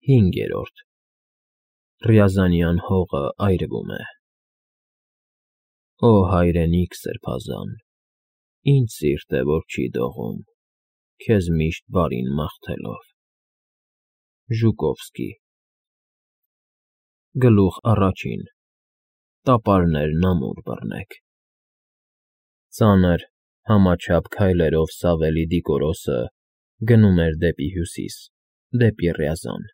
5. Ռյազանյան հողը այրվում է։ Օ հայրենիք սրբազան, ինչ սիրտ է, որ չի դողում, քեզ միշտ բարին մաղթելով։ Ժուկովսկի։ Գլուխ առաջին, տապարներն ամուր բռնեք։ Ծանր, համաչափ քայլերով Սավելի Դիկորոսը գնում էր դեպի հյուսիս, դեպի Ռյազան։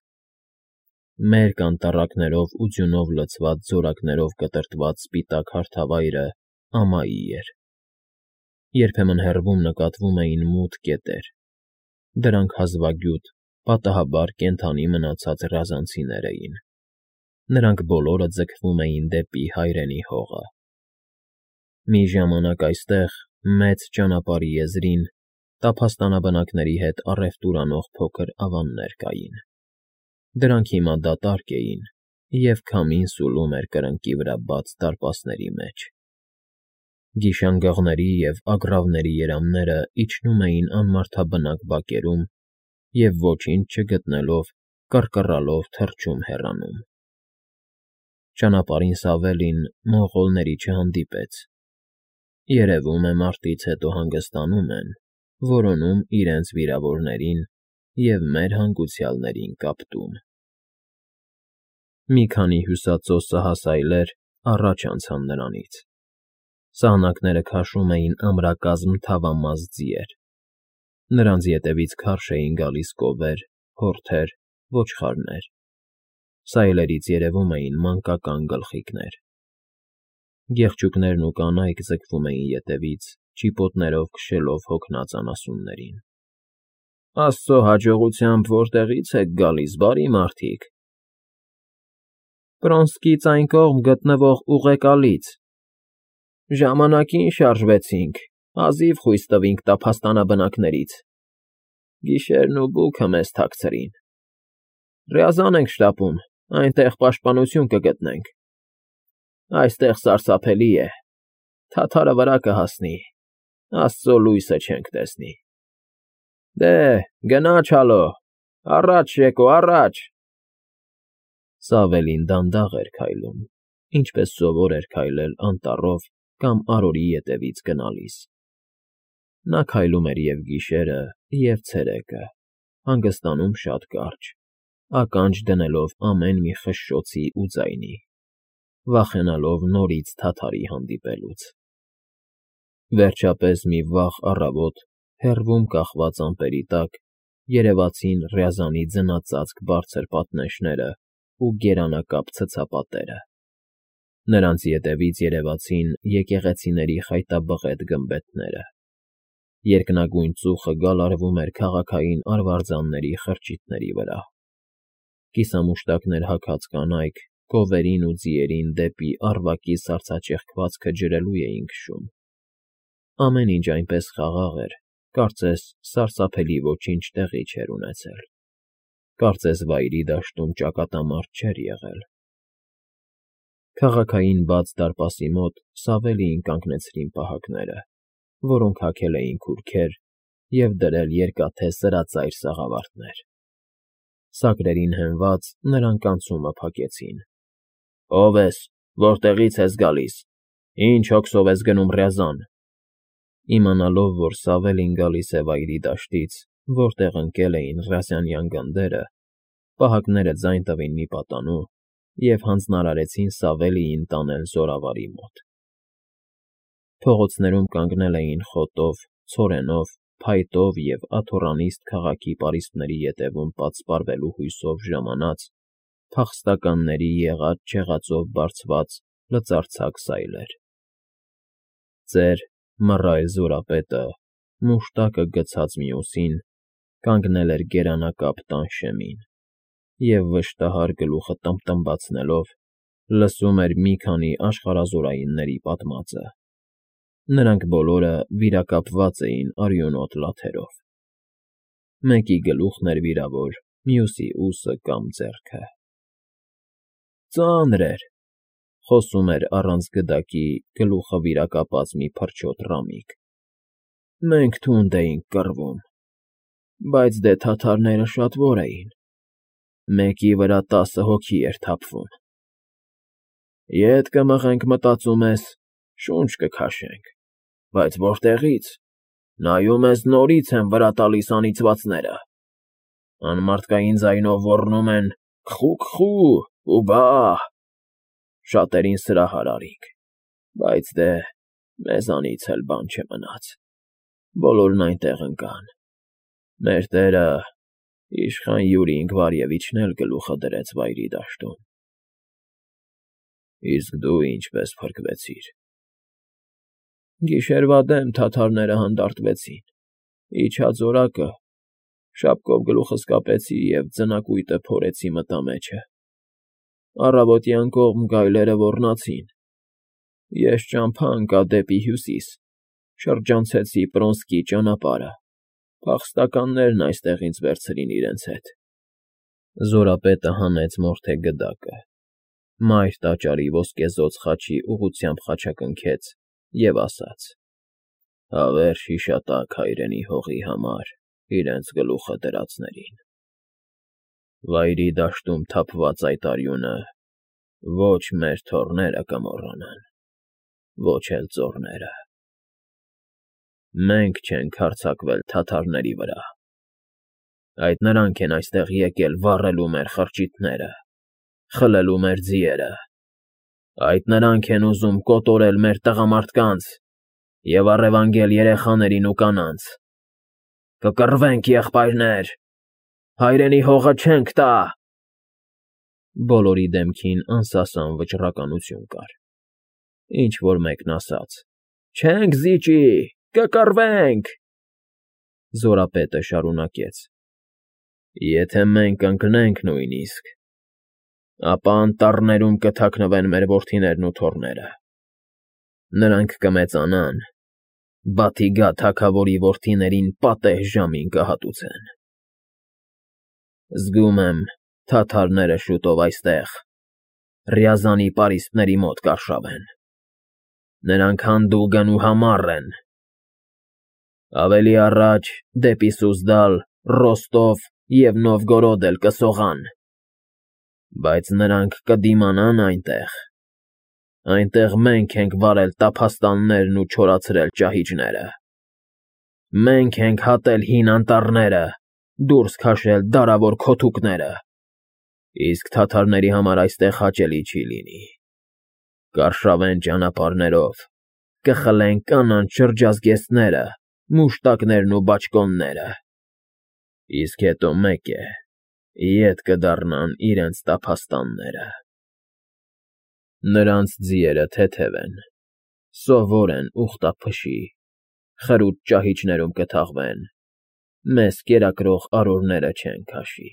Մերկ անտառակներով ու ձյունով լցված զորակներով կտրտված սպիտակ հարթավայրը ամայի էր։ Երբեմն հեռվում նկատվում էին մութ կետեր, դրանք հազվագյուտ, պատահաբար կենդանի մնացած ռյազանցիներ էին։ Նրանք բոլորը ձգվում էին դեպի հայրենի հողը։ Մի ժամանակ այստեղ, մեծ ճանապարհի եզրին, տափաստանաբնակների հետ առևտուր անող փոքր ավաններ կային։ Դրանք հիմա դատարկ էին, և քամին սուլում էր կրկնակի վրա բաց դարպասների մեջ։ Գիշանգաղների և ագռավների երամները իջնում էին անմարդաբնակ բակերում և ոչինչ չգտնելով, կռկռալով թռչում հեռանում։ Ճանապարհին Սավելին մոնղոլների չհանդիպեց։ Երևում է մարտից հետո հանգստանում են, որոնում իրենց վիրավորներին և մեր հանգուցյալներին կապտում։ Մի քանի հյուսածո սահասայլեր առաջ անցան նրանից։ Սահնակները քաշում էին ամրակազմ թավամաս ձիեր։ Նրանց ետևից քարշ էին գալիս կովեր, հորթեր, ոչխարներ։ Սայլերից երևում էին մանկական գլխիկներ։ Գեղչուկներն ու կանայք ձգվում էին ետևից, ճիպոտներով քշելով հոգնած անասուններին։ Աստծո հաջողությամբ որտեղի՞ց եք գալիս, բարի մարդիկ։ Պրոնսկից այն կողմ գտնվող ուղեկալից։ Ժամանակին շարժվեցինք, հազիվ խույս տվինք տափաստանաբնակներից։ Գիշերն ու բուքը մեզ թաքցրին։ Ռյազան ենք շտապում, այնտեղ պաշտպանություն կգտնենք։ Այստեղ սարսափելի է, թաթարը վրա կհասնի, Աստծո լույսը չենք տեսնի։ Դե, գնա չալո, առաջ, Ժեկո, առաջ։ Սավելին դանդաղ էր քայլում, ինչպես սովոր էր քայլել անտառով կամ արորի ետևից գնալիս։ Նա քայլում էր և գիշերը, և ցերեկը, հանգստանում շատ կարճ, ականջ դնելով ամեն մի խշշոցի ու ձայնի, վախենալով նորից թաթարի հանդիպելուց։ Վերջապես մի վաղ առավոտ, հեռվում կախված ամպերի տակ, երևացին Ռյազանի ձնածածկ բարձր պատնեշներն ու գերանակապ ցցապատերը։ Նրանց ետևից երևացին եկեղեցիների խայտաբղետ գմբեթները։ Երկնագույն ծուխը գալարվում էր քաղաքային արվարձանների խրճիթների վրա։ Կիսամուշտակներ հագած կանայք գովերին ու ձիերին դեպի առվակի սառցաճեղքվածքը ջրելու էին քշում։ Ամեն ինչ այնպես խաղաղ էր, կարծես սարսափելի ոչինչ տեղի չէր ունեցել։ Կարծես վայրի դաշտում ճակատամարտ չէր եղել։ Քաղաքային բաց դարպասի մոտ Սավելիին կանգնեցրին պահակները, որոնք հագել էին քուրքեր և դրել երկաթե սրածայր սաղավարտներ։ Սակրերին հենված, նրանք անցումը փակեցին։ Ո՞վ ես, որտեղի՞ց ես գալիս, ինչ հոգսով ես գնում Ռյազան։ Իմանալով, որ Սավելին գալիս է վայրի դաշտից, որտեղ ընկել էին ռյազանյան գնդերը, պահակները ձայն տվին մի պատանու և հանձնարարեցին Սավելիին տանել զորավարի մոտ։ Փողոցներում կանգնել էին խոտով, ցորենով, փայտով և աթոռանիստ քաղաքի պարիսպների ետևում պատսպարվելու հույսով ժամանած, փախստականների եղած֊չեղածով բարձված լծարձակ սայլեր։ Ծեր, մռայլ զորապետը, մուշտակը գցած մյուսին, կանգնել էր գերանակապ տան շեմին և վշտահար գլուխը տմբտմբացնելով լսում էր մի քանի աշխարհազորայինների պատմածը։ Նրանք բոլորը վիրակապված էին արյունոտ լաթերով։ Մեկի գլուխն էր վիրավոր, մյուսի ուսը կամ ձեռքը։ Ծանր էր, խոսում էր առանց գդակի գլուխը վիրակապած մի փրչոտ ռամիկ։ Մենք թունդ էինք կռվում, բայց դե թաթարները շատվոր էին։ Մեկի վրա 10 հոգի էր թափվում։ Ետ կմղենք, մտածում ես, շունչ կքաշենք, բայց որտեղից, նայում ես նորից են վրա տալիս անիծվածները, անմարդկային ձայնով ոռնում են «քխու» ու «բա»։ Շատերին սրահար արինք, բայց դե մեզանից էլ բան չմնաց, բոլորն այնտեղ ընկան, մեր տերը, իշխան Յուրի Ինգվարևիչն էլ գլուխը դրեց վայրի դաշտում։ Իսկ դու ինչպես փրկվեցիր։ Գիշերվա դեմ թաթարները հանդարտվեցին, իջած օրակը, շապկով գլուխս կապեցի և ձնակույտը փորեցի մտա մեջը, առավոտյան կողմ գայլերը ոռնացին, ես ճամփա ընկա դեպի հյուսիս, շրջանցեցի Պրոնսկի ճանապարհը, փախստականներն այստեղ ինձ վերցրին իրենց հետ։ Զորապետը հանեց մորթե գդակը, մայր տաճարի ոսկեզօծ խաչի ուղղությամբ խաչակնքեց և ասաց. «Հավերժ հիշատակ հայրենի հողի համար իրենց գլուխը դրածներին։ Վայրի դաշտում թափված այդ արյունը ոչ մեր թոռները կմոռանան, ոչ էլ ծոռները։ Մենք չենք հարձակվել թաթարների վրա, այդ նրանք են այստեղ եկել վառելու մեր խրճիթները, խլելու մեր ձիերը, այդ նրանք են ուզում կոտորել մեր տղամարդկանց և առևանգել երեխաներին ու կանանց։ Կկռվենք, եղբայրներ, հայրենի հողը չենք տա»։ Բոլորի դեմքին անսասան վճռականություն կար, ինչ֊որ մեկն ասաց. «Չենք զիջի, կկռվենք»։ Զորապետը շարունակեց. «Եթե մենք ընկնենք նույնիսկ, ապա անտառներում կթաքնվեն մեր որդիներն ու թոռները, նրանք կմեծանան, Բաթիգա թագավորի որդիներին պատեհ ժամին կհատուցեն։ Զգում եմ, թաթարները շուտով այստեղ, Ռյազանի պարիսպների մոտ կարշավեն, նրանք հանդուգն ու համառ են, ավելի առաջ դեպի Սուզդալ, Ռոստով և Նովգորոդ էլ կսողան, բայց նրանք կդիմանան այնտեղ մենք ենք վարել տափաստաններն ու չորացրել ճահիճները, մենք ենք հատել հին անտառները, դուրս քաշել դարավոր քոթուկները, իսկ թաթարների համար այստեղ հաճելի չի լինի, կարշավեն ճանապարհներով, կխլեն կանանց շրջազգեստները, մուշտակներն ու բաճկոնները, իսկ հետո մեկ է, ետ կդառնան իրենց տափաստանները։ Նրանց ձիերը թեթև են, սովոր են ուխտափշի, խրուտ ճահիճներում կթաղվեն, մեզ կերակրող արորները չեն քաշի։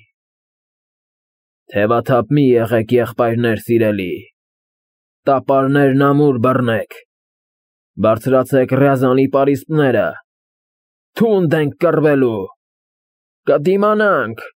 Թևաթափ մի եղեք, եղբայրներ սիրելի, տապարներն ամուր բռնեք, բարձրացեք Ռյազանի պարիսպները, թունդ ենք կռվելու, կդիմանանք։